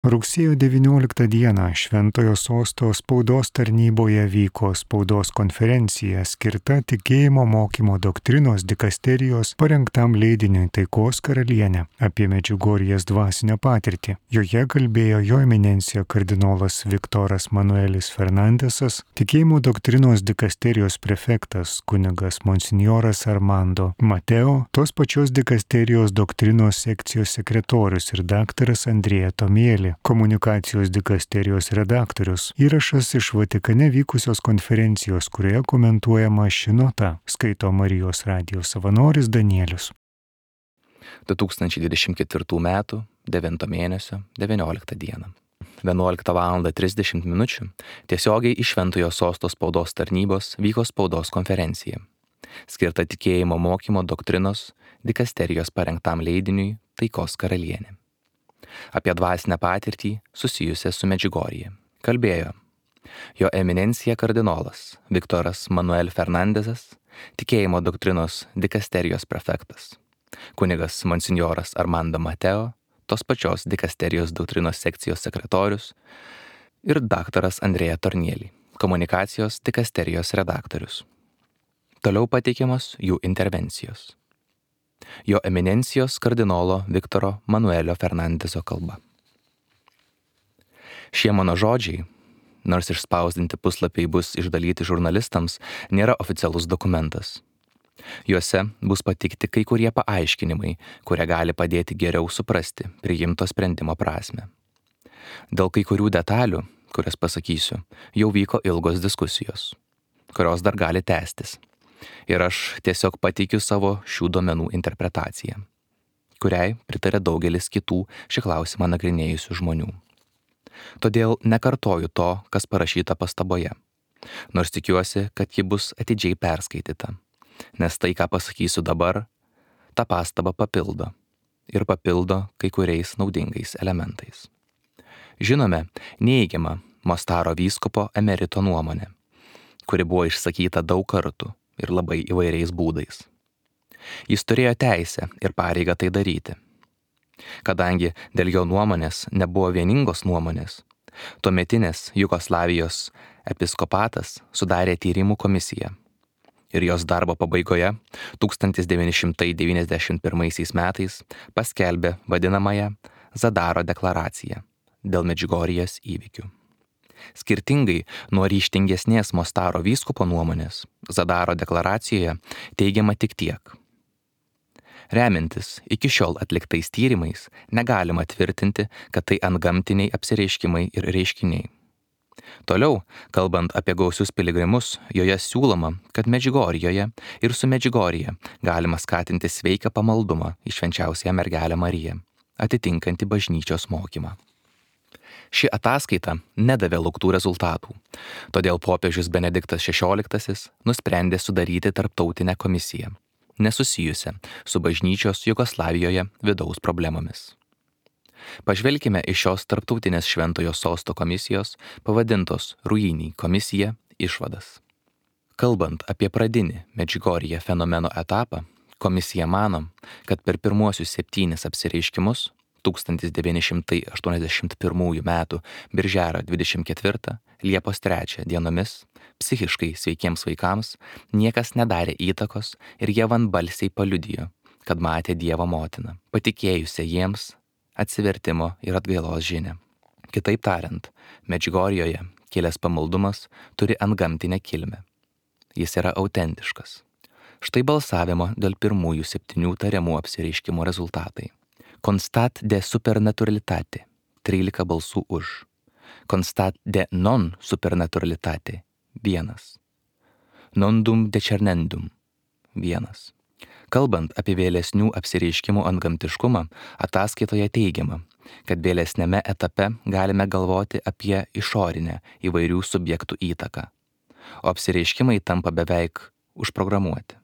Rugsėjo 19 dieną Šventojo Sosto spaudos tarnyboje vyko spaudos konferencija skirta tikėjimo mokymo doktrinos dikasterijos parengtam leidiniui Taikos karalienė apie Medžiugorjės dvasinę patirtį. Joje kalbėjo jo eminencija kardinolas Viktoras Manuelis Fernandesas, tikėjimo doktrinos dikasterijos prefektas kunigas monsinjoras Armando Mateo, tos pačios dikasterijos doktrinos sekcijos sekretorius ir daktaras Andrėja Tomielė, komunikacijos dikasterijos redaktorius. Įrašas iš Vatikane vykusios konferencijos, kurioje komentuojama ši nota, skaito Marijos radijo savanoris Danielius. 2024 m. 9 mėnesio 19 dieną. 11:30 min. Tiesiogiai iš Šventojo Sosto spaudos tarnybos vyko spaudos konferencija, skirta tikėjimo mokymo doktrinos dikasterijos parengtam leidiniui Taikos karalienė. Apie dvasinę patirtį susijusią su Medžiugorje kalbėjo jo eminencija kardinolas Viktoras Manuel Fernandesas, tikėjimo doktrinos dikasterijos prefektas, kunigas monsinjoras Armando Mateo, tos pačios dikasterijos doktrinos sekcijos sekretorius ir daktaras Andrėja Tornielį, komunikacijos dikasterijos redaktorius. Toliau pateikiamos jų intervencijos. Jo eminencijos kardinolo Viktoro Manuelio Fernandeso kalba. Šie mano žodžiai, nors išspausdinti puslapiai bus išdalyti žurnalistams, nėra oficialus dokumentas. Juose bus pateikti kai kurie paaiškinimai, kurie gali padėti geriau suprasti priimto sprendimo prasmę. Dėl kai kurių detalių, kurias pasakysiu, jau vyko ilgos diskusijos, kurios dar gali tęstis. Ir aš tiesiog pateikiu savo šių duomenų interpretaciją, kuriai pritarė daugelis kitų šį klausimą nagrinėjusių žmonių. Todėl nekartoju to, kas parašyta pastaboje, nors tikiuosi, kad ji bus atidžiai perskaityta, nes tai, ką pasakysiu dabar, tą pastabą papildo ir papildo kai kuriais naudingais elementais. Žinome neigiamą Mostaro vyskupo emerito nuomonę, kuri buvo išsakyta daug kartų ir labai įvairiais būdais. Jis turėjo teisę ir pareigą tai daryti. Kadangi dėl jo nuomonės nebuvo vieningos nuomonės, tuometinės Jugoslavijos episkopatas sudarė tyrimų komisiją ir jos darbo pabaigoje 1991 metais paskelbė vadinamąją Zadaro deklaraciją dėl Medžiugorjės įvykių. Skirtingai nuo ryžtingesnės Mostaro vyskupo nuomonės, Zadaro deklaracijoje teigiama tik tiek. Remiantis iki šiol atliktais tyrimais, negalima tvirtinti, kad tai antgamtiniai apsireiškimai ir reiškiniai. Toliau, kalbant apie gausius piligrimus, joje siūloma, kad Medžiugorjoje ir su Medžiugorje galima skatinti sveiką pamaldumą į švenčiausiąją mergelę Mariją, atitinkantį bažnyčios mokymą. Ši ataskaita nedavė lauktų rezultatų, todėl popiežius Benediktas XVI nusprendė sudaryti tarptautinę komisiją, nesusijusią su bažnyčios Jugoslavijoje vidaus problemomis. Pažvelkime į šios tarptautinės Šventojo Sosto komisijos, pavadintos Ruini komisija, išvadas. Kalbant apie pradinį Medžiugorje fenomeno etapą, komisija mano, kad per pirmuosius 7 apsireiškimus 1981 m. birželio 24, Liepos 3 dienomis psichiškai sveikiems vaikams niekas nedarė įtakos ir jie vienbalsiai paliudijo, kad matė Dievo motiną, patikėjusią jiems atsivertimo ir atgailos žinią. Kitaip tariant, Medžiugorjoje kilęs pamaldumas turi antgamtinę kilmę. Jis yra autentiškas. Štai balsavimo dėl pirmųjų 7 tariamų apsireiškimo rezultatai. Constat de supernaturalitate, 13 balsų už. Constat de non supernaturalitate, 1. Nondum decernendum, 1. Kalbant apie vėlesnių apsireiškimų antgamtiškumą, ataskaitoje teigiama, kad vėlesnėme etape galime galvoti apie išorinę įvairių subjektų įtaką, o apsireiškimai tampa beveik užprogramuoti.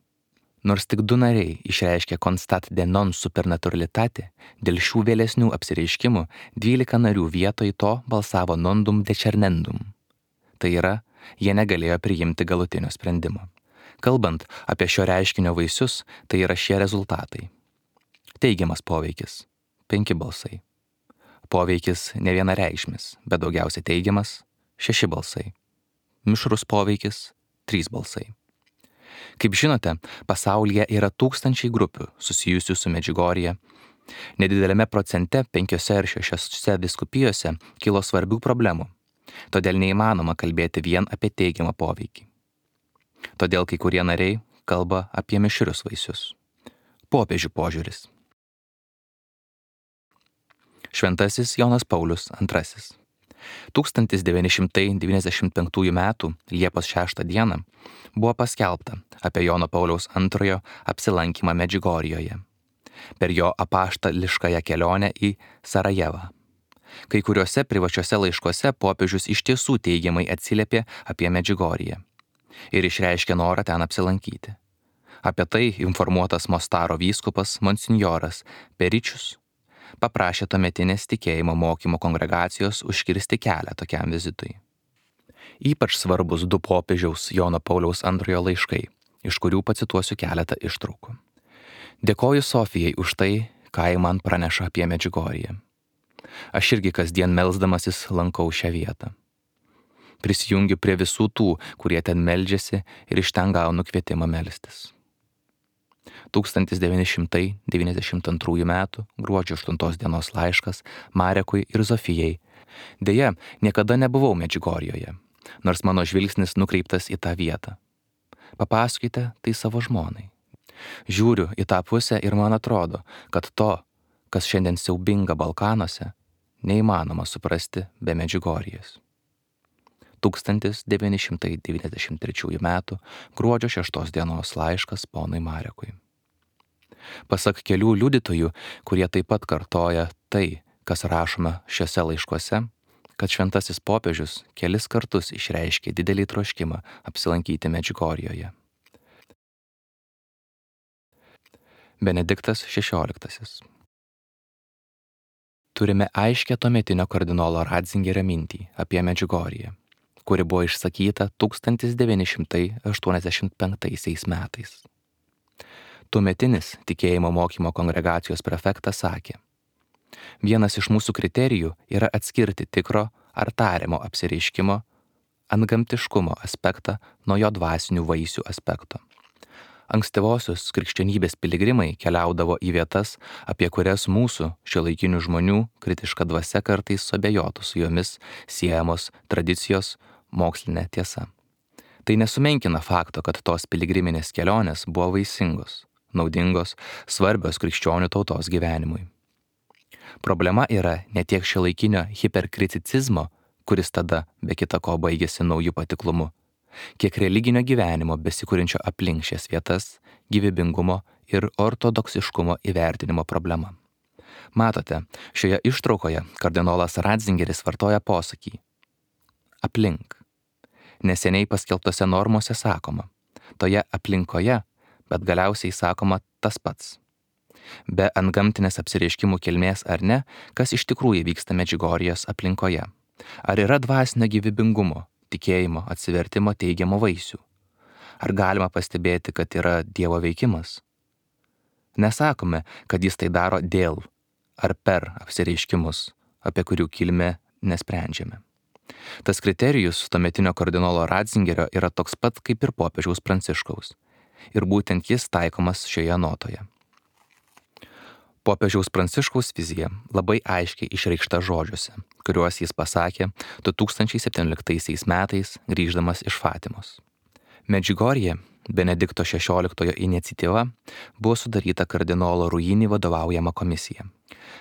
Nors tik 2 nariai išreiškė constat de non supernaturalitate, dėl šių vėlesnių apsireiškimų 12 narių vietoj to balsavo nondum decernendum. Tai yra, jie negalėjo priimti galutinio sprendimo. Kalbant apie šio reiškinio vaisius, tai yra šie rezultatai. Teigiamas poveikis – 5 balsai. Poveikis ne vienareikšmis, bet daugiausia teigiamas – 6 balsai. Mišrus poveikis – 3 balsai. Kaip žinote, pasaulyje yra tūkstančiai grupių susijusių su Medžiugorje. Nedidelėme procente 5 ar 6 vyskupijose kilo svarbių problemų, todėl neįmanoma kalbėti vien apie teigiamą poveikį. Todėl kai kurie nariai kalba apie mišrius vaisius. Popiežių požiūris. Šventasis Jonas Paulius II. 1995 m. Liepos 6 d. buvo paskelbta apie Jono Pauliaus II apsilankymą Medžiugorjoje per jo apaštališkąją kelionę į Sarajevą. Kai kuriuose privačiuose laiškuose popiežius iš tiesų teigiamai atsiliepė apie Medžiugorję ir išreiškė norą ten apsilankyti. Apie tai informuotas Mostaro vyskupas monsinjoras Peričius paprašė tuometinės tikėjimo mokymo kongregacijos užkirsti kelią tokiam vizitui. Ypač svarbus 2 popiežiaus Jono Pauliaus II laiškai, iš kurių pacituosiu keletą ištraukų. Dėkoju Sofijai už tai, ką ji man praneša apie Medžiugorję. Aš irgi kasdien melsdamasis lankau šią vietą. Prisijungiu prie visų tų, kurie ten meldžiasi ir iš ten gaunu kvietimą melstis. 1992 m. gruodžio 8 dienos laiškas Marekui ir Zofijai. Deja, niekada nebuvau Medžiugorjoje, nors mano žvilgsnis nukreiptas į tą vietą. Papasakokite tai savo žmonai. Žiūriu į tą pusę ir man atrodo, kad to, kas šiandien siaubinga Balkanuose, neįmanoma suprasti be Medžiugorjės. 1993 m. gruodžio 6 dienos laiškas ponui Marekui. Pasak kelių liudytojų, kurie taip pat kartoja tai, kas rašoma šiuose laiškuose, kad šventasis popiežius kelis kartus išreiškė didelį troškimą apsilankyti Medžiugorjoje. Benediktas XVI. Turime aiškę tuometinio kardinolo Ratzingerio mintį apie Medžiugorję, kuri buvo išsakyta 1985 metais. Tuometinis tikėjimo mokymo kongregacijos prefektas sakė: vienas iš mūsų kriterijų yra atskirti tikro ar tariamo apsireiškimo antgamtiškumo aspektą nuo jo dvasinių vaisių aspekto. Ankstyvosios krikščionybės piligrimai keliaudavo į vietas, apie kurias mūsų šiuolaikinių žmonių kritiška dvasia kartais suabejotų su jomis siejamos tradicijos mokslinė tiesa. Tai nesumenkina fakto, kad tos piligriminės kelionės buvo vaisingos, naudingos, svarbios krikščionių tautos gyvenimui. Problema yra ne tiek šiuolaikinio hiperkriticizmo, kuris tada be kita ko baigėsi naujų patiklumu, kiek religinio gyvenimo besikūrinčio aplink šias vietas, gyvybingumo ir ortodoksiškumo įvertinimo problema. Matote, šioje ištraukoje kardinolas Ratzingeris vartoja posakį aplink. Neseniai paskelbtose normose sakoma, toje aplinkoje, bet galiausiai sakoma tas pats. Be antgamtinės apsireiškimų kilmės ar ne, kas iš tikrųjų vyksta Medžiugorjės aplinkoje? Ar yra dvasinio gyvybingumo, tikėjimo, atsivertimo teigiamo vaisių? Ar galima pastebėti, kad yra Dievo veikimas? Nesakome, kad jis tai daro dėl ar per apsireiškimus, apie kurių kilmę nesprendžiame. Tas kriterijus tuometinio kardinolo Ratzingerio yra toks pat kaip ir popiežiaus Pranciškaus. Ir būtent jis taikomas šioje notoje. Popiežiaus Pranciškaus vizija labai aiškiai išreikšta žodžiuose, kuriuos jis pasakė 2017 metais grįždamas iš Fatimos. Medžiugorje, Benedikto XVI iniciatyva, buvo sudaryta kardinolo Ruini vadovaujama komisija.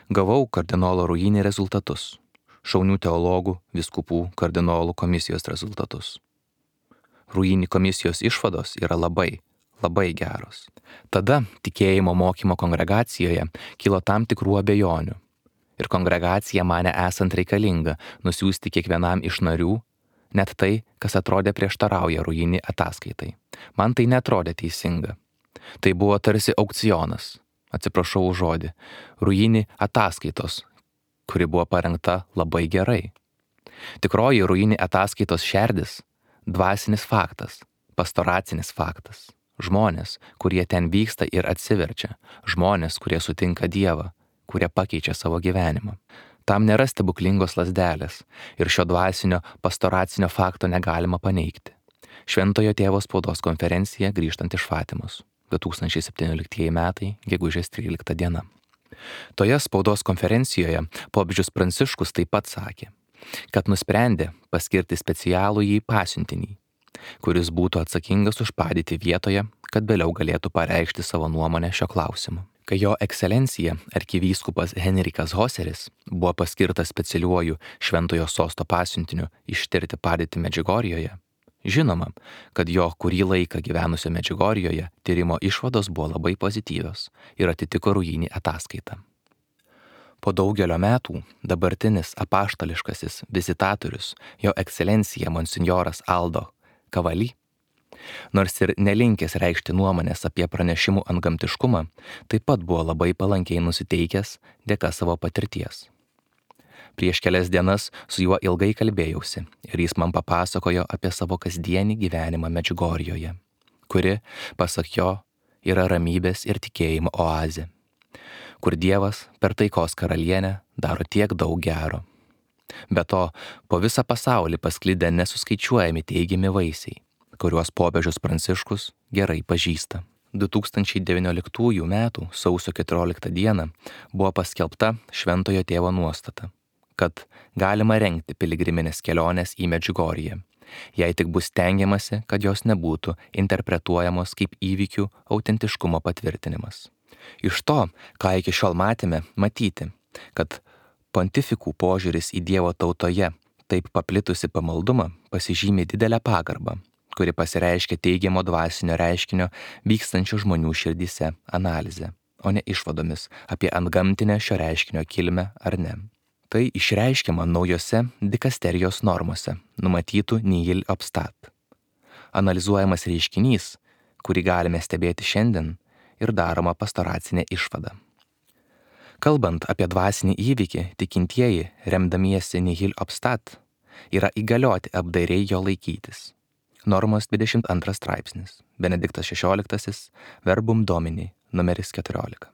Gavau kardinolo Ruini rezultatus, šaunių teologų, vyskupų, kardinolų komisijos rezultatus. Ruini komisijos išvados yra labai geros. Tada tikėjimo mokymo kongregacijoje kilo tam tikrų abejonių ir kongregacija manė esant reikalinga nusiųsti kiekvienam iš narių net tai, kas atrodė prieštarauja Ruini ataskaitai. Man tai netrodė teisinga. Tai buvo tarsi aukcionas, atsiprašau už žodį, Ruini ataskaitos, kuri buvo parengta labai gerai. Tikroji Ruini ataskaitos šerdis – dvasinis faktas, pastoracinis faktas. Žmonės, kurie ten vyksta ir atsiverčia, žmonės, kurie sutinka Dievą, kurie pakeičia savo gyvenimą. Tam nėra stebuklingos lazdelės ir šio dvasinio pastoracinio fakto negalima paneigti. Šventojo tėvo spaudos konferencija grįžtant iš Fatimos. 2017 metai, gegužės 13 diena. Toje spaudos konferencijoje popiežius Pranciškus taip pat sakė, kad nusprendė paskirti specialų jį pasiuntinį, kuris būtų atsakingas už padėtį vietoje, kad vėliau galėtų pareikšti savo nuomonę šio klausimu. Kai jo ekscelencija arkivyskupas Henrikas Hoseris buvo paskirtas specialiuoju Šventojo sosto pasiuntiniu ištirti padėtį Medžiugorjėje, žinoma, kad jo kurį laiką gyvenusio Medžiugorjėje tyrimo išvados buvo labai pozityvios ir atitiko Rujini ataskaitą. Po daugelio metų dabartinis apaštališkasis vizitatorius, jo ekscelencija monsinjoras Aldo Kavaly, nors ir nelinkęs reikšti nuomonės apie pranešimų antgamtiškumą, taip pat buvo labai palankiai nusiteikęs dėka savo patirties. Prieš kelias dienas su juo ilgai kalbėjausi ir jis man papasakojo apie savo kasdienį gyvenimą Medžiugorjėje, kuri, pasak jo, yra ramybės ir tikėjimo oazė, kur Dievas per taikos karalienę daro tiek daug gero. Be to, po visą pasaulį pasklidę nesuskaičiuojami teigiami vaisiai, kuriuos popiežius Pranciškus gerai pažįsta. 2019 m. sausio 14 d. buvo paskelbta Šventojo tėvo nuostata, kad galima rengti piligriminės kelionės į Medžiugorję, jei tik bus stengiamasi, kad jos nebūtų interpretuojamos kaip įvykių autentiškumo patvirtinimas. Iš to, ką iki šiol matėme, matyti, kad pontifikų požiūris į Dievo tautoje taip paplitusi pamaldumą pasižymi didelę pagarbą, kuri pasireiškia teigiamo dvasinio reiškinio vykstančių žmonių širdyse analizę, o ne išvadomis apie antgamtinę šio reiškinio kilmę ar ne. Tai išreiškiama naujose dikasterijos normose, numatytų nihil obstat. Analizuojamas reiškinys, kurį galime stebėti šiandien, ir daroma pastoracinė išvada. Kalbant apie dvasinį įvykį, tikintieji, remdamiesi nihil obstat, yra įgalioti apdairiai jo laikytis. Normos 22 straipsnis, Benediktas XVI, Verbum Domini, numeris 14.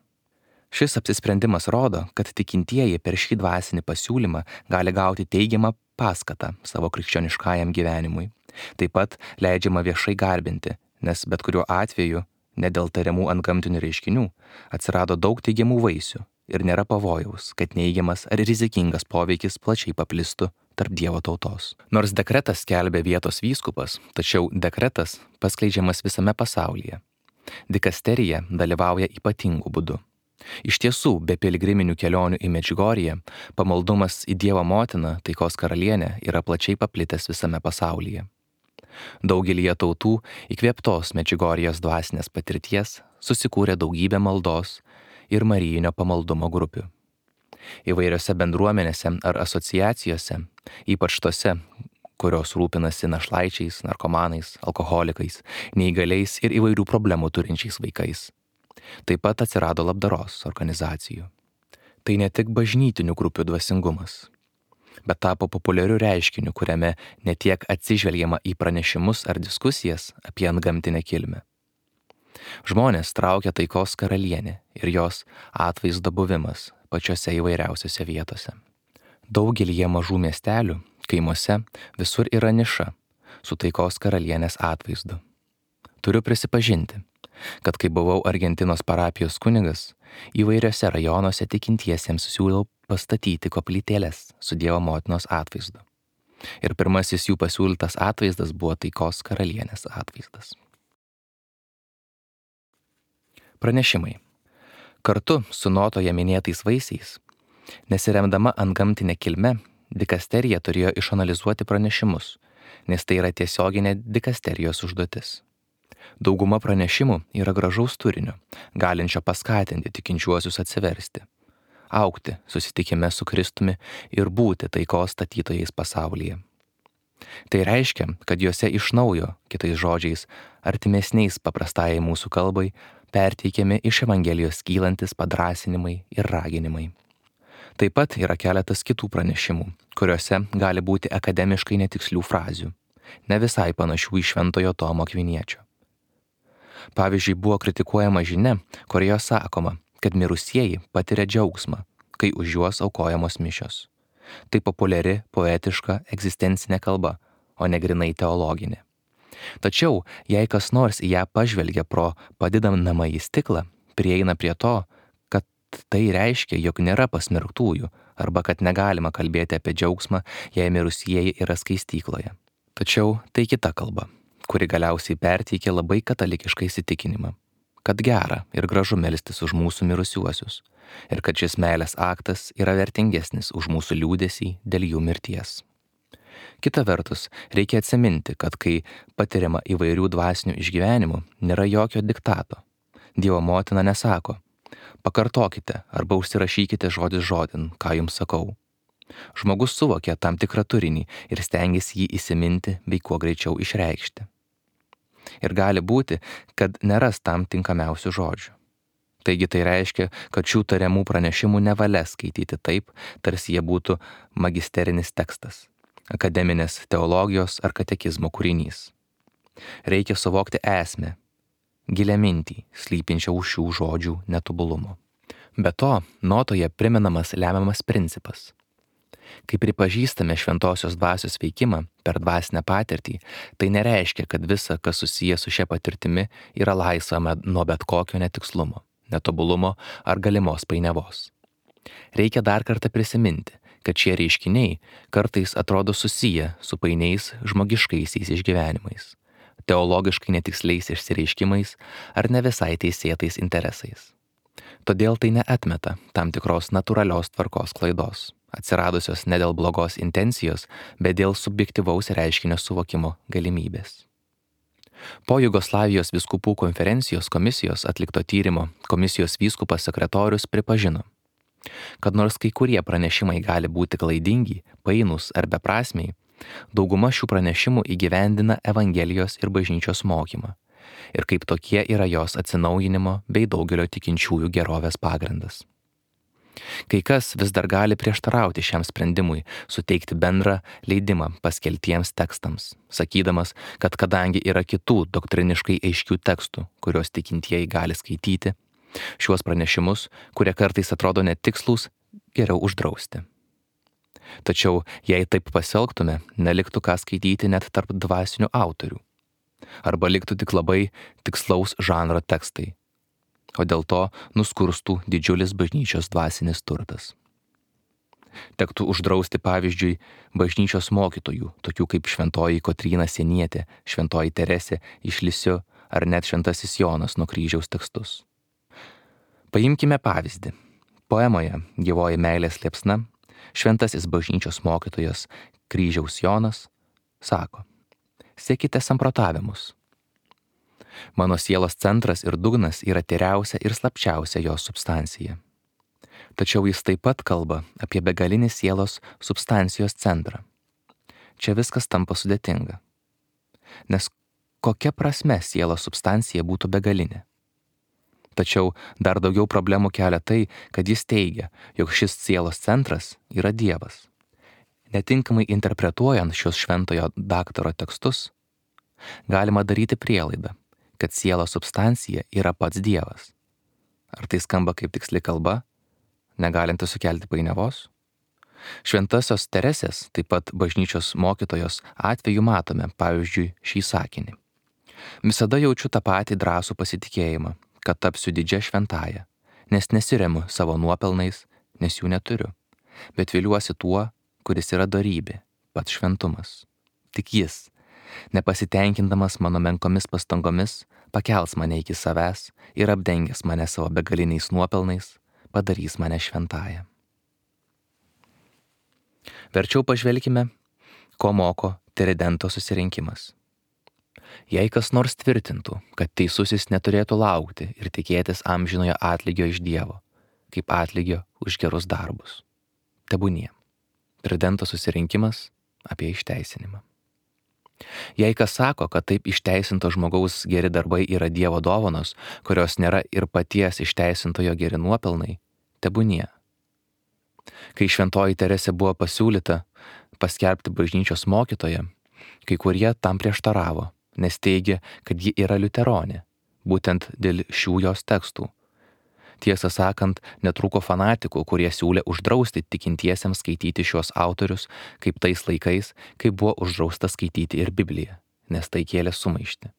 Šis apsisprendimas rodo, kad tikintieji per šį dvasinį pasiūlymą gali gauti teigiamą paskatą savo krikščioniškajam gyvenimui. Taip pat leidžiama viešai garbinti, nes bet kuriuo atveju, ne dėl tariamų antgamtinių reiškinių, atsirado daug teigiamų vaisių ir nėra pavojaus, kad neigiamas ar rizikingas poveikis plačiai paplistų tarp Dievo tautos. Nors dekretas skelbia vietos vyskupas, tačiau dekretas paskleidžiamas visame pasaulyje. Dikasterija dalyvauja ypatingu būdu. Iš tiesų, be piligriminių kelionių į Medžiugorję, pamaldumas į Dievo motiną, taikos karalienę, yra plačiai paplitęs visame pasaulyje. Daugelyje tautų įkvėptos Medžiugorjės dvasinės patirties susikūrė daugybė maldos ir marijinio pamaldumo grupių. Įvairiose bendruomenėse ar asociacijose, ypač tose, kurios rūpinasi našlaičiais, narkomanais, alkoholikais, neįgaliais ir įvairių problemų turinčiais vaikais. Taip pat atsirado labdaros organizacijų. Tai ne tik bažnytinių grupių dvasingumas, bet tapo populiariu reiškiniu, kuriame ne tiek atsižvelgiama į pranešimus ar diskusijas apie antgamtinę kilmę. Žmonės traukia taikos karalienė ir jos atvaizdo buvimas pačiose įvairiausiose vietose. Daugelyje mažų miestelių, kaimuose visur yra niša su taikos karalienės atvaizdu. Turiu prisipažinti, kad kai buvau Argentinos parapijos kunigas, įvairiose rajonuose tikintiesiems siūliau pastatyti koplytėles su Dievo motinos atvaizdu. Ir pirmasis jų pasiūlytas atvaizdas buvo taikos karalienės atvaizdas. Pranešimai. Kartu su notoje minėtais vaisiais, nesiremdama antgamtinę kilmę, dikasterija turėjo išanalizuoti pranešimus, nes tai yra tiesioginė dikasterijos užduotis. Dauguma pranešimų yra gražaus turinio, galinčio paskatinti tikinčiuosius atsiversti, augti susitikime su Kristumi ir būti taikos statytojais pasaulyje. Tai reiškia, kad juose iš naujo, kitais žodžiais, artimesniais paprastajai mūsų kalbai, perteikiami iš Evangelijos kylantis padrąsinimai ir raginimai. Taip pat yra keletas kitų pranešimų, kuriuose gali būti akademiškai netikslių frazių, ne visai panašių į Šventojo Tomo Akviniečio. Pavyzdžiui, buvo kritikuojama žinia, kurioje sakoma, kad mirusieji patiria džiaugsmą, kai už juos aukojamos mišios. Tai populiari, poetiška, egzistencinė kalba, o ne grinai teologinė. Tačiau, jei kas nors į ją pažvelgia pro padidinamąjį stiklą, prieina prie to, kad tai reiškia, jog nėra pasmerktųjų, arba kad negalima kalbėti apie džiaugsmą, jei mirusieji yra skaistykloje. Tačiau tai kita kalba, kuri galiausiai perteikia labai katalikišką įsitikinimą, kad gera ir gražu melstis už mūsų mirusiuosius ir kad šis meilės aktas yra vertingesnis už mūsų liūdesį dėl jų mirties. Kita vertus, reikia atsiminti, kad kai patiriama įvairių dvasinių išgyvenimų, nėra jokio diktato. Dievo motina nesako: pakartokite arba užsirašykite žodis žodin, ką jums sakau. Žmogus suvokia tam tikrą turinį ir stengiasi jį įsiminti bei kuo greičiau išreikšti. Ir gali būti, kad neras tam tinkamiausių žodžių. Taigi tai reiškia, kad šių tariamų pranešimų nevalia skaityti taip, tarsi jie būtų magisterinis tekstas, akademinės teologijos ar katekizmo kūrinys. Reikia suvokti esmę, gilią mintį, slypinčią už šių žodžių netobulumo. Be to, notoje primenamas lemiamas principas. Kai pripažįstame šventosios dvasios veikimą per dvasinę patirtį, tai nereiškia, kad visa, kas susiję su šia patirtimi, yra laisva nuo bet kokio netikslumo, netobulumo ar galimos painiavos. Reikia dar kartą prisiminti, kad šie reiškiniai kartais atrodo susiję su painiais žmogiškaisiais išgyvenimais, teologiškai netiksliais išsireiškimais ar ne visai teisėtais interesais. Todėl tai neatmeta tam tikros natūralios tvarkos klaidos, atsiradusios ne dėl blogos intencijos, bet dėl subjektyvaus reiškinio suvokimo galimybės. Po Jugoslavijos vyskupų konferencijos komisijos atlikto tyrimo komisijos vyskupas sekretorius pripažino, kad nors kai kurie pranešimai gali būti klaidingi, painūs ar beprasmiai, dauguma šių pranešimų įgyvendina Evangelijos ir bažnyčios mokymą ir kaip tokie yra jos atsinaujinimo bei daugelio tikinčiųjų gerovės pagrindas. Kai kas vis dar gali prieštarauti šiam sprendimui suteikti bendrą leidimą paskeltiems tekstams, sakydamas, kad kadangi yra kitų doktriniškai aiškių tekstų, kuriuos tikintieji gali skaityti, šiuos pranešimus, kurie kartais atrodo netikslūs, geriau uždrausti. Tačiau, jei taip pasielgtume, neliktų ką skaityti net tarp dvasinių autorių. Arba liktų tik labai tikslaus žanro tekstai, o dėl to nuskurstų didžiulis bažnyčios dvasinis turtas. Tektų uždrausti, pavyzdžiui, bažnyčios mokytojų, tokių kaip šventoji Kotryna Sienietė, šventoji Teresė iš Lisieux ar net šventasis Jonas nuo kryžiaus tekstus. Paimkime pavyzdį. Poemoje Gyvoji meilės liepsna šventasis bažnyčios mokytojas kryžiaus Jonas sako: sekite samprotavimus. Mano sielos centras ir dugnas yra tyriausia ir slapčiausia jos substancija. Tačiau jis taip pat kalba apie begalinį sielos substancijos centrą. Čia viskas tampa sudėtinga. Nes kokia prasme sielos substancija būtų begalinė? Tačiau dar daugiau problemų kelia tai, kad jis teigia, jog šis sielos centras yra Dievas. Netinkamai interpretuojant šios šventojo daktaro tekstus, galima daryti prielaidą, kad sielos substancija yra pats Dievas. Ar tai skamba kaip tiksli kalba, negalinti sukelti painiavos? Šventosios Teresės, taip pat bažnyčios mokytojos atveju matome, pavyzdžiui, šį sakinį. Visada jaučiu tą patį drąsų pasitikėjimą, kad tapsiu didžia šventąja, nes nesiremiu savo nuopelnais, nes jų neturiu, bet viliuosi tuo, kuris yra dorybė, pats šventumas. Tik jis, nepasitenkindamas mano menkomis pastangomis, pakels mane iki savęs ir apdengęs mane savo begaliniais nuopelnais, padarys mane šventąja. Verčiau pažvelkime, ko moko Tiridento susirinkimas. Jei kas nors tvirtintų, kad teisusis neturėtų laukti ir tikėtis amžinojo atlygio iš Dievo, kaip atlygio už gerus darbus, tebūnie. Tiridento susirinkimas apie išteisinimą. Jei kas sako, kad taip išteisinto žmogaus geri darbai yra Dievo dovanos, kurios nėra ir paties išteisintojo geri nuopelnai, tebūnie. Kai šventoji Teresė buvo pasiūlyta paskelbti bažnyčios mokytoją, kai kurie tam prieštaravo, nes teigė, kad ji yra liuteronė, būtent dėl šių jos tekstų. Tiesą sakant, netrūko fanatikų, kurie siūlė uždrausti tikintiesiems skaityti šios autorius, kaip tais laikais, kai buvo uždrausta skaityti ir Bibliją, nes tai kėlė sumaištį.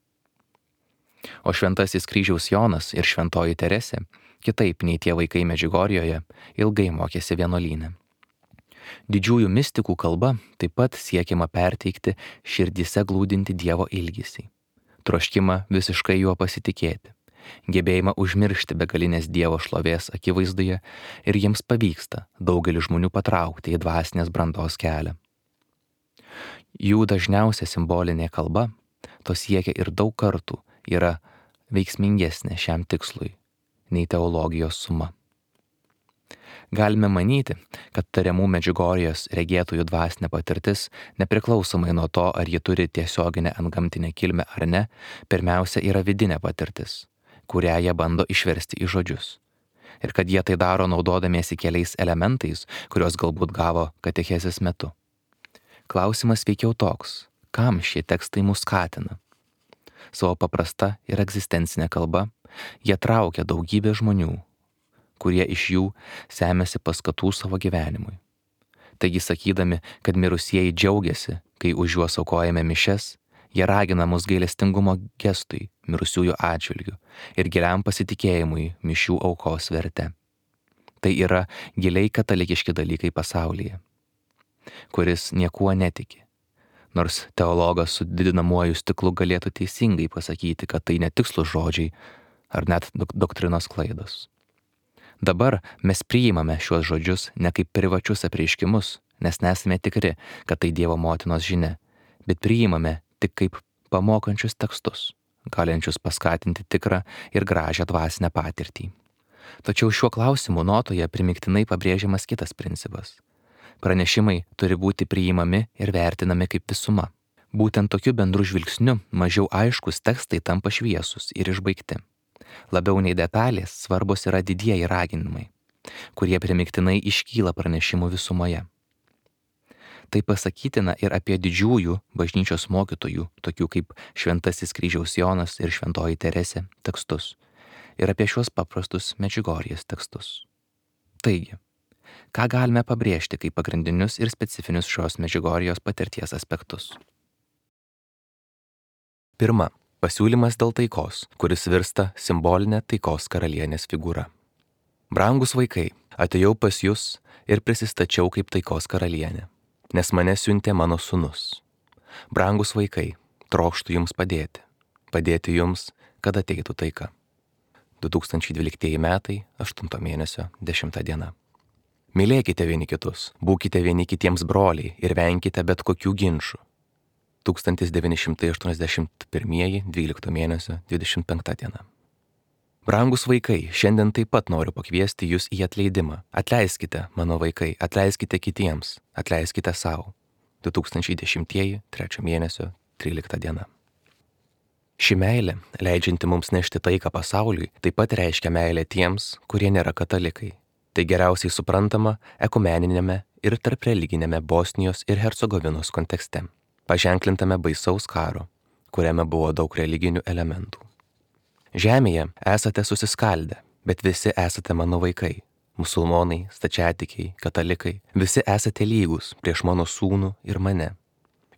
O Šventasis Kryžiaus Jonas ir Šventoji Teresė, kitaip nei tie vaikai Medžiugorjoje, ilgai mokėsi vienuolyne. Didžiųjų mistikų kalba taip pat siekiama perteikti širdyse glūdinti Dievo ilgesį, troškimą visiškai juo pasitikėti, gebėjimą užmiršti begalinės Dievo šlovės akivaizdoje ir jiems pavyksta daugelį žmonių patraukti į dvasinės brandos kelią. Jų dažniausia simbolinė kalba, to siekia ir daug kartų, yra veiksmingesnė šiam tikslui nei teologijos suma. Galime manyti, kad tariamų Medžiugorijos regėtojų dvasinė patirtis, nepriklausomai nuo to, ar ji turi tiesioginę antgamtinę kilmę ar ne, pirmiausia yra vidinė patirtis, kurią jie bando išversti į žodžius. Ir kad jie tai daro naudodamiesi keliais elementais, kuriuos galbūt gavo katechezės metu. Klausimas veikiau toks, kam šie tekstai mus skatina? Savo paprasta ir egzistencinė kalba, jie traukia daugybę žmonių, kurie iš jų semiasi paskatų savo gyvenimui. Taigi sakydami, kad mirusieji džiaugiasi, kai už juos aukojame mišias, jie ragina mus gailestingumo gestui mirusiųjų atžvilgių ir giliam pasitikėjimui mišių aukos verte. Tai yra giliai katalikiški dalykai pasaulyje, kuris niekuo netiki. Nors teologas su didinamuoju stiklu galėtų teisingai pasakyti, kad tai netikslūs žodžiai ar net doktrinos klaidos. Dabar mes priimame šiuos žodžius ne kaip privačius apreiškimus, nes nesame tikri, kad tai Dievo motinos žinia, bet priimame tik kaip pamokančius tekstus, galinčius paskatinti tikrą ir gražią dvasinę patirtį. Tačiau šiuo klausimu notoje primygtinai pabrėžiamas kitas principas. Pranešimai turi būti priimami ir vertinami kaip visuma. Būtent tokiu bendru žvilgsniu mažiau aiškus tekstai tampa šviesus ir išbaigti. Labiau nei detalės svarbus yra didieji raginimai, kurie primygtinai iškyla pranešimų visumoje. Tai pasakytina ir apie didžiųjų bažnyčios mokytojų, tokių kaip Šventasis Kryžiaus Jonas ir Šventoji Teresė, tekstus, ir apie šiuos paprastus Medžiugorjės tekstus. Taigi, ką galime pabrėžti kaip pagrindinius ir specifinius šios Medžiugorjos patirties aspektus? Pirma. Pasiūlymas dėl taikos, kuris virsta simbolinė taikos karalienės figūra. Brangus vaikai, atėjau pas jūs ir prisistačiau kaip taikos karalienė, nes mane siuntė mano sūnus. Brangus vaikai, trokštu jums padėti jums, kad ateitų taika. 2012 metai, 8 mėnesio, 10 diena. Mylėkite vieni kitus, būkite vieni kitiems broliai ir venkite bet kokių ginčų. 1981, 12 mėnesio, 25 diena. Brangus vaikai, šiandien taip pat noriu pakviesti jūs į atleidimą. Atleiskite, mano vaikai, atleiskite kitiems, atleiskite savo. 2010, 3 mėnesio, 13 diena. Ši meilė, leidžianti mums nešti taiką pasauliui, taip pat reiškia meilę tiems, kurie nėra katalikai. Tai geriausiai suprantama ekumeninėme ir tarpreliginėme Bosnijos ir Hercegovinos kontekste, paženklintame baisaus karo, kuriame buvo daug religinių elementų. Žemėje esate susiskaldę, bet visi esate mano vaikai. Musulmonai, stačiatikiai, katalikai, visi esate lygus prieš mano sūnų ir mane.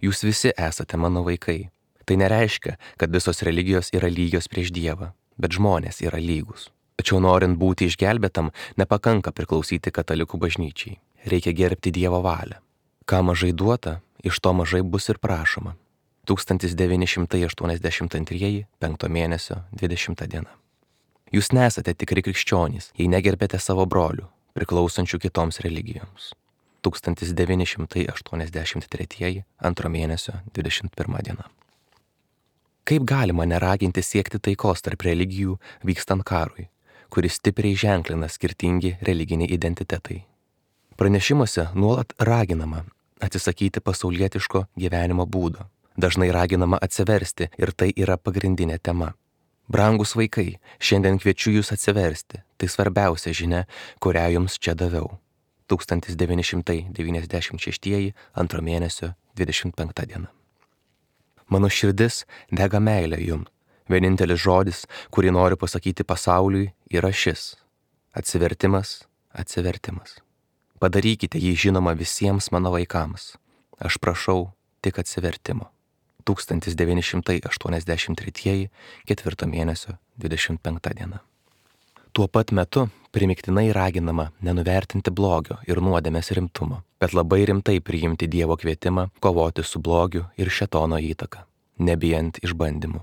Jūs visi esate mano vaikai. Tai nereiškia, kad visos religijos yra lygios prieš Dievą, bet žmonės yra lygus. Tačiau norint būti išgelbėtam, nepakanka priklausyti katalikų bažnyčiai. Reikia gerbti Dievo valią. Ką mažai duota, iš to mažai bus ir prašoma. 1982, 5 mėnesio, 20 diena. Jūs nesate tikri krikščionys, jei negerbėte savo brolių, priklausančių kitoms religijoms. 1983, 2 mėnesio, 21 diena. Kaip galima neraginti siekti taikos tarp religijų vykstant karui, kuris stipriai ženklina skirtingi religiniai identitetai? Pranešimuose nuolat raginama atsisakyti pasaulietiško gyvenimo būdo. Dažnai raginama atsiversti ir tai yra pagrindinė tema. Brangus vaikai, šiandien kviečiu jūs atsiversti. Tai svarbiausia žinia, kurią jums čia daviau. 1996, 2 mėnesio, 25 diena. Mano širdis dega meilė jums. Vienintelis žodis, kurį noriu pasakyti pasauliui, yra šis. Atsivertimas, atsivertimas. Padarykite jį žinomą visiems mano vaikams. Aš prašau tik atsivertimo. 1983, 4 mėnesio, 25 diena. Tuo pat metu primiktinai raginama nenuvertinti blogio ir nuodėmės rimtumo, bet labai rimtai priimti Dievo kvietimą kovoti su blogiu ir šėtono įtaka, nebijant išbandymų.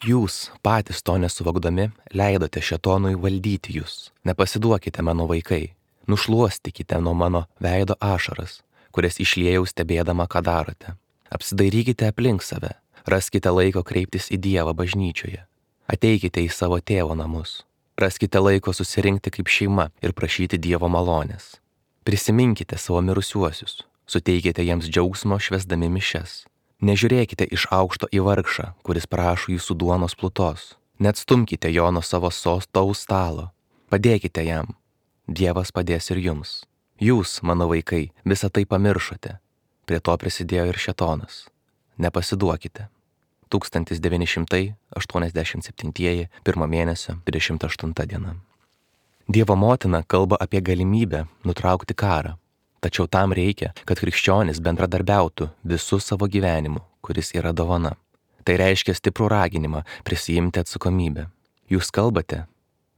Jūs patys to nesuvokdami leidote šėtonui valdyti jūs. Nepasiduokite mano vaikai, nušluostykite nuo mano veido ašaras, kurias išliejau stebėdama, ką darote. Apsidairykite aplink save, raskite laiko kreiptis į Dievą bažnyčioje, ateikite į savo tėvo namus, raskite laiko susirinkti kaip šeima ir prašyti Dievo malonės. Prisiminkite savo mirusiuosius, suteikite jiems džiaugsmo švęsdami mišias. Nežiūrėkite iš aukšto į vargšą, kuris prašo jūsų duonos plutos. Neatstumkite jo nuo savo sostaus stalo. Padėkite jam. Dievas padės ir jums. Jūs, mano vaikai, visą tai pamiršote. Prie to prisidėjo ir šėtonas. Nepasiduokite. 1987, 1 mėnesio, 28 diena. Dievo motina kalba apie galimybę nutraukti karą. Tačiau tam reikia, kad krikščionis bendradarbiautų visų savo gyvenimu, kuris yra dovana. Tai reiškia stiprų raginimą prisijimti atsakomybę. Jūs kalbate,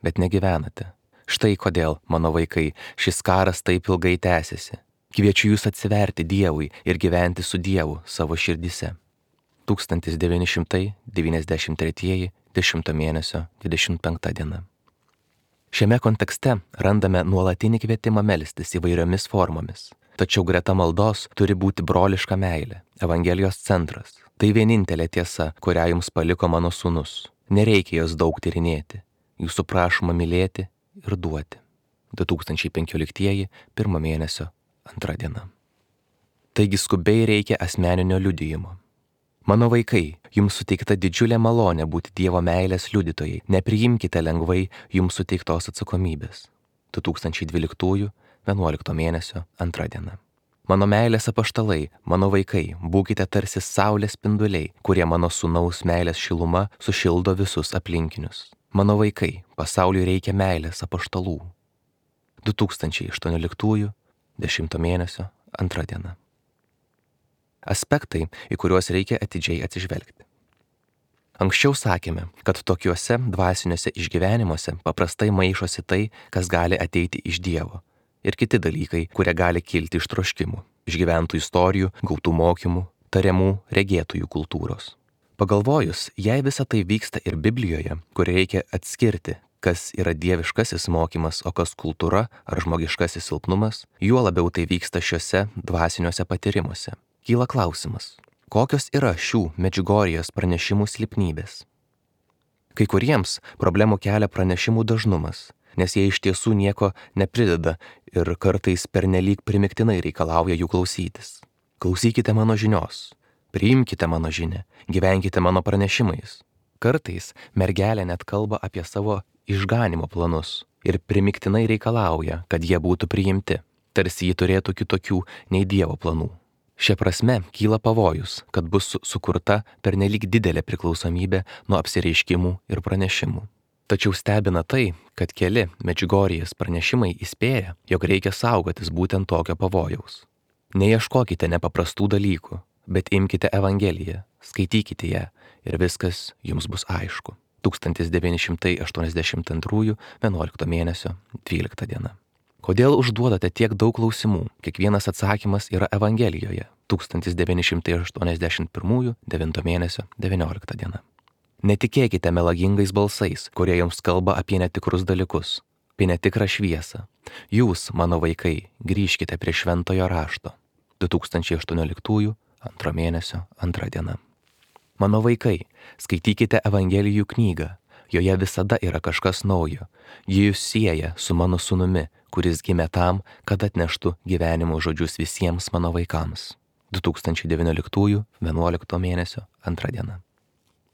bet negyvenate. Štai kodėl, mano vaikai, šis karas taip ilgai tęsiasi. Kviečiu jūs atsiverti Dievui ir gyventi su Dievu savo širdise. 1993, 10 mėnesio, 25 diena. Šiame kontekste randame nuolatinį kvietimą melstis įvairiomis formomis. Tačiau greta maldos turi būti broliška meilė, Evangelijos centras. Tai vienintelė tiesa, kurią jums paliko mano sūnus. Nereikia jos daug tyrinėti. Jūsų prašoma mylėti ir duoti. 2015, 1 mėnesio, 2 diena. Taigi skubiai reikia asmeninio liudijimo. Mano vaikai, jums suteikta didžiulė malonė būti Dievo meilės liudytojai. Nepriimkite lengvai jums suteiktos atsakomybės. 2012, 11 mėnesio, 2 diena. Mano meilės apaštalai, mano vaikai, būkite tarsi saulės spinduliai, kurie mano sūnaus meilės šiluma sušildo visus aplinkinius. Mano vaikai, pasauliui reikia meilės apaštalų. 2018, 10 mėnesio, 2 diena. Aspektai, į kuriuos reikia atidžiai atsižvelgti. Anksčiau sakėme, kad tokiuose dvasiniuose išgyvenimuose paprastai maišosi tai, kas gali ateiti iš Dievo, ir kiti dalykai, kurie gali kilti iš troškimų, išgyventų istorijų, gautų mokymų, tariamų regėtųjų kultūros. Pagalvojus, jei visa tai vyksta ir Biblijoje, kur reikia atskirti, kas yra dieviškasis mokymas, o kas kultūra ar žmogiškasis silpnumas, juo labiau tai vyksta šiuose dvasiniuose patyrimuose. Kyla klausimas, kokios yra šių Medžiugorjės pranešimų silpnybės? Kai kuriems problemų kelia pranešimų dažnumas, nes jie iš tiesų nieko neprideda ir kartais pernelyg primiktinai reikalauja jų klausytis. Klausykite mano žinios, priimkite mano žinią, gyvenkite mano pranešimais. Kartais mergelė net kalba apie savo išganimo planus ir primiktinai reikalauja, kad jie būtų priimti, tarsi ji turėtų kitokių nei Dievo planų. Šia prasme kyla pavojus, kad bus sukurta pernelyg didelė priklausomybė nuo apsireiškimų ir pranešimų. Tačiau stebina tai, kad keli Medžiugorjės pranešimai įspėja, jog reikia saugotis būtent tokio pavojaus. Neieškokite nepaprastų dalykų, bet imkite Evangeliją, skaitykite ją ir viskas jums bus aišku. 1982, 11 mėnesio, 12 diena. Kodėl užduodate tiek daug klausimų? Kiekvienas atsakymas yra Evangelijoje. 1981, 9 mėnesio, 19 diena. Netikėkite melagingais balsais, kurie jums kalba apie netikrus dalykus, apie netikrą šviesą. Jūs, mano vaikai, grįžkite prie šventojo rašto. 2018, 2 mėnesio, 2 diena. Mano vaikai, skaitykite Evangelijų knygą. Joje visada yra kažkas naujo. Ji jūs sieja su mano sūnumi, kuris gimė tam, kad atneštų gyvenimo žodžius visiems mano vaikams. 2019, 11 mėnesio, 2 diena.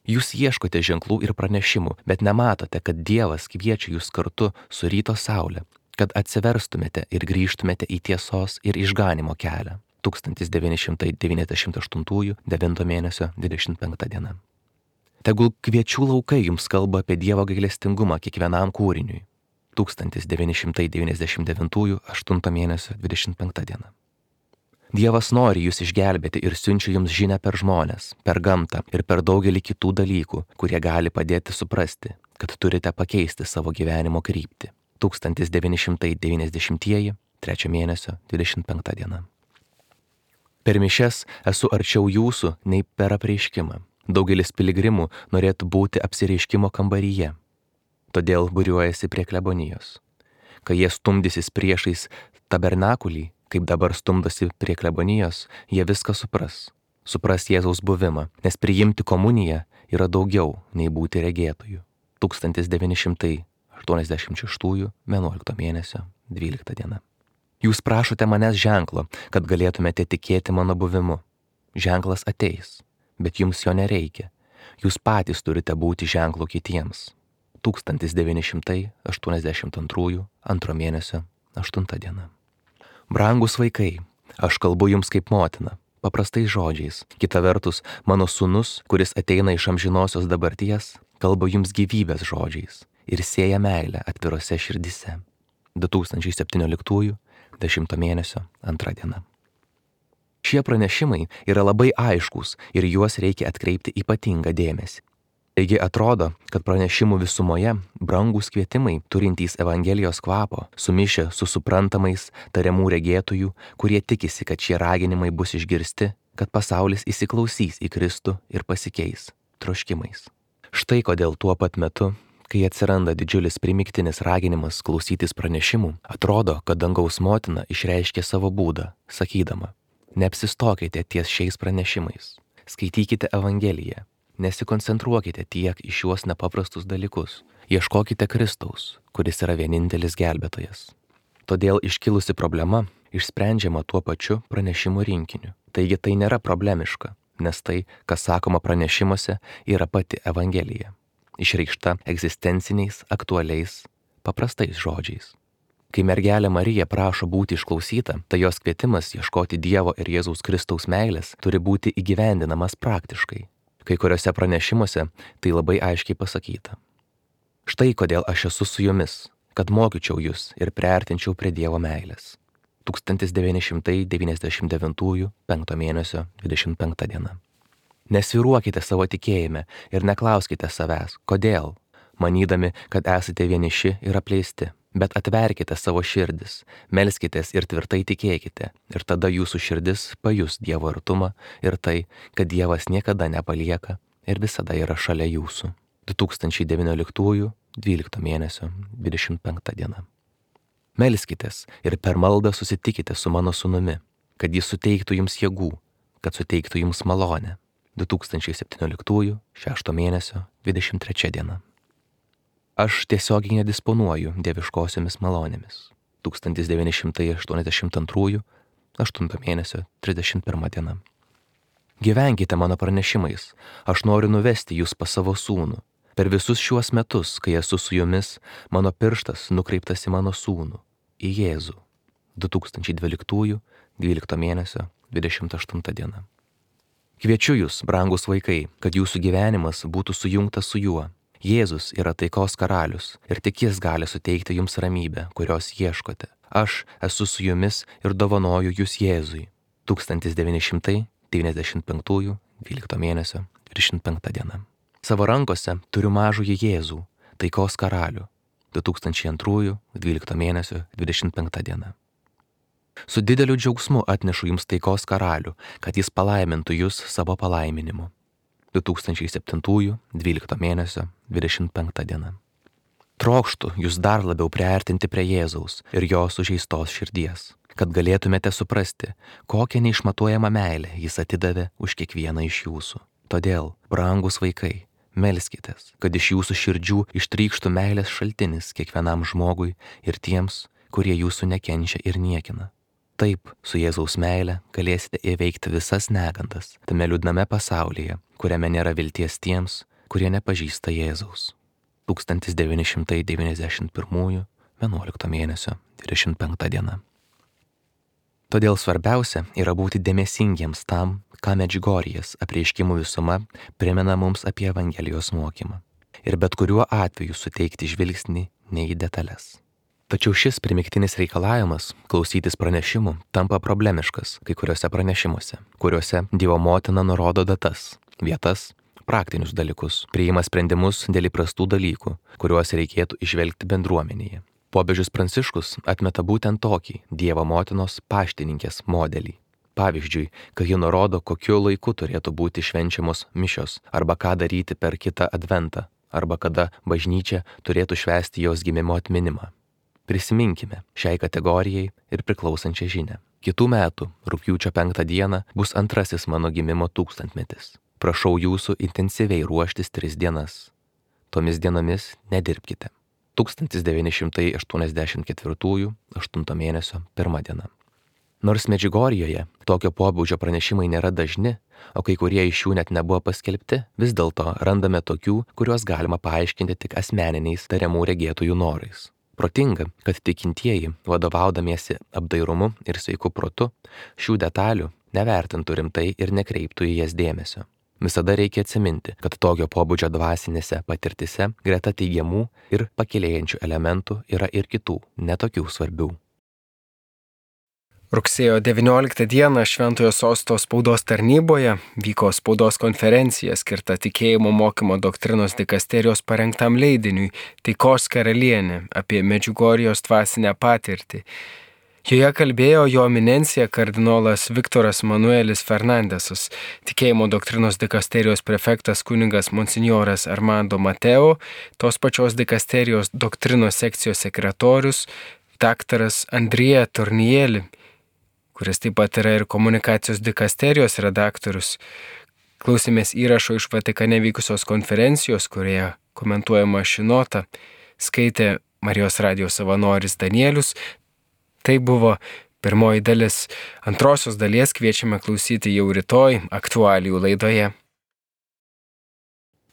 Jūs ieškote ženklų ir pranešimų, bet nematote, kad Dievas kviečia jūs kartu su ryto saulė, kad atsiverstumėte ir grįžtumėte į tiesos ir išganimo kelią. 1998, 9 mėnesio, 25 diena. Tegul kviečių laukai jums kalba apie Dievo gailestingumą kiekvienam kūriniui. 1999 8 mėnesio 25 diena. Dievas nori jūs išgelbėti ir siunčia jums žinią per žmones, per gamtą ir per daugelį kitų dalykų, kurie gali padėti suprasti, kad turite pakeisti savo gyvenimo kryptį. 1990 3 mėnesio 25 diena. Per mišias esu arčiau jūsų nei per apreiškimą. Daugelis piligrimų norėtų būti apsireiškimo kambaryje, todėl būriuojasi prie klebonijos. Kai jie stumdysis priešais tabernakulį, kaip dabar stumdosi prie klebonijos, jie viską supras. Supras Jėzaus buvimą, nes priimti komuniją yra daugiau nei būti regėtojų. 1986 11 mėnesio 12 diena. Jūs prašote manęs ženklo, kad galėtumėte tikėti mano buvimu. Ženklas ateis, bet jums jo nereikia. Jūs patys turite būti ženklu kitiems. 1982 2 mėnesio 8 diena. Brangus vaikai, aš kalbu jums kaip motina, paprastais žodžiais. Kita vertus, mano sūnus, kuris ateina iš amžinosios dabarties, kalba jums gyvybės žodžiais ir sėja meilę atvirose širdise. 2017 10 mėnesio 2 diena. Šie pranešimai yra labai aiškūs ir juos reikia atkreipti ypatingą dėmesį. Taigi atrodo, kad pranešimų visumoje brangūs kvietimai, turintys Evangelijos kvapo, sumišę su suprantamais tariamų regėtojų, kurie tikisi, kad šie raginimai bus išgirsti, kad pasaulis įsiklausys į Kristų ir pasikeis troškimais. Štai kodėl tuo pat metu, kai atsiranda didžiulis primygtinis raginimas klausytis pranešimų, atrodo, kad dangaus motina išreiškė savo būdą, sakydama: neapsistokite ties šiais pranešimais, skaitykite Evangeliją. Nesikoncentruokite tiek į šiuos nepaprastus dalykus. Ieškokite Kristaus, kuris yra vienintelis gelbėtojas. Todėl iškilusi problema išsprendžiama tuo pačiu pranešimų rinkiniu. Taigi tai nėra problemiška, nes tai, kas sakoma pranešimuose, yra pati Evangelija, išreikšta egzistenciniais, aktualiais, paprastais žodžiais. Kai mergelė Marija prašo būti išklausyta, tai jos kvietimas ieškoti Dievo ir Jėzaus Kristaus meilės turi būti įgyvendinamas praktiškai. Kai kuriuose pranešimuose tai labai aiškiai pasakyta. Štai kodėl aš esu su jumis, kad mokyčiau jūs ir priartinčiau prie Dievo meilės. 1999 5 mėnesio 25 diena. Nesvyruokite savo tikėjime ir neklauskite savęs, kodėl, manydami, kad esate vieniši ir apleisti. Bet atverkite savo širdis, melskitės ir tvirtai tikėkite, ir tada jūsų širdis pajus Dievo artumą ir tai, kad Dievas niekada nepalieka ir visada yra šalia jūsų. 2019 12 mėnesio 25 diena. Melskitės ir per maldą susitikite su mano sūnumi, kad jis suteiktų jums jėgų, kad suteiktų jums malonę. 2017 6 mėnesio 23 diena. Aš tiesiogiai nedisponuoju dieviškosiomis malonėmis. 1982 8 mėnesio 31 diena. Gyvenkite mano pranešimais, aš noriu nuvesti jūs pas savo sūnų. Per visus šiuos metus, kai esu su jumis, mano pirštas nukreiptas į mano sūnų, į Jėzų. 2012 12 mėnesio 28 diena. Kviečiu jūs, brangus vaikai, kad jūsų gyvenimas būtų sujungtas su juo. Jėzus yra taikos karalius ir tik jis gali suteikti jums ramybę, kurios ieškote. Aš esu su jumis ir dovanoju jūs Jėzui. 1995 12 mėnesio 25 diena. Savo rankose turiu mažųjį Jėzų, taikos karalių. 2002 12 mėnesio 25 diena. Su dideliu džiaugsmu atnešu jums taikos karalių, kad jis palaimintų jūs savo palaiminimu. 2007 12 mėnesio 25 diena. Trokštu jūs dar labiau priartinti prie Jėzaus ir jo sužeistos širdies, kad galėtumėte suprasti, kokią neišmatuojamą meilę jis atidavė už kiekvieną iš jūsų. Todėl, brangus vaikai, melskitės, kad iš jūsų širdžių ištrykštų meilės šaltinis kiekvienam žmogui ir tiems, kurie jūsų nekenčia ir niekina. Taip, su Jėzaus meile galėsite įveikti visas negandas tame liūdname pasaulyje, kuriame nėra vilties tiems, kurie nepažįsta Jėzaus. 1991 11 mėnesio 25 diena. Todėl svarbiausia yra būti dėmesingiems tam, ką Medžiugorjės apreiškimų visuma primena mums apie Evangelijos mokymą. Ir bet kuriuo atveju suteikti žvilgsnį nei į detalės. Tačiau šis primygtinis reikalavimas klausytis pranešimų tampa problemiškas kai kuriuose pranešimuose, kuriuose Dievo motina nurodo datas, vietas, praktinius dalykus, priima sprendimus dėl įprastų dalykų, kuriuos reikėtų įžvelgti bendruomenėje. Popiežius Pranciškus atmeta būtent tokį Dievo motinos paštininkės modelį. Pavyzdžiui, kai ji nurodo, kokiu laiku turėtų būti švenčiamos mišios, arba ką daryti per kitą adventą, arba kada bažnyčia turėtų švęsti jos gimimo atminimą. Prisiminkime šiai kategorijai ir priklausančią žinią. Kitų metų, rugpjūčio 5 dieną, bus antrasis mano gimimo 1000-metis. Prašau jūsų intensyviai ruoštis 3 dienas. Tomis dienomis nedirbkite. 1984 8 mėnesio 1 diena. Nors Medžiugorjėje tokio pobūdžio pranešimai nėra dažni, o kai kurie iš jų net nebuvo paskelbti, vis dėlto randame tokių, kuriuos galima paaiškinti tik asmeniniais tariamų regėtojų norais. Protinga, kad tikintieji, vadovaudamiesi apdairumu ir sveiku protu, šių detalių nevertintų rimtai ir nekreiptų į jas dėmesio. Visada reikia atsiminti, kad tokio pobūdžio dvasinėse patirtise greta teigiamų ir pakilėjančių elementų yra ir kitų, netokių svarbių. Rugsėjo 19 dieną Šventojo Sosto spaudos tarnyboje vyko spaudos konferencija skirta tikėjimo mokymo doktrinos dikasterijos parengtam leidiniui Taikos karalienė apie Medžiugorjės dvasinę patirtį. Joje kalbėjo jo eminencija kardinolas Viktoras Manuelis Fernandesas, tikėjimo doktrinos dikasterijos prefektas kunigas monsinjoras Armando Mateo, tos pačios dikasterijos doktrinos sekcijos sekretorius daktaras Andrija Tornieli, kuris taip pat yra ir komunikacijos dikasterijos redaktorius. Klausėmės įrašo iš Vatikane vykusios konferencijos, kurioje komentuojama ši nota, skaitė Marijos radijo savanoris Danielius. Tai buvo pirmoji dalis. Antrosios dalies kviečiame klausyti jau rytoj aktualijų laidoje.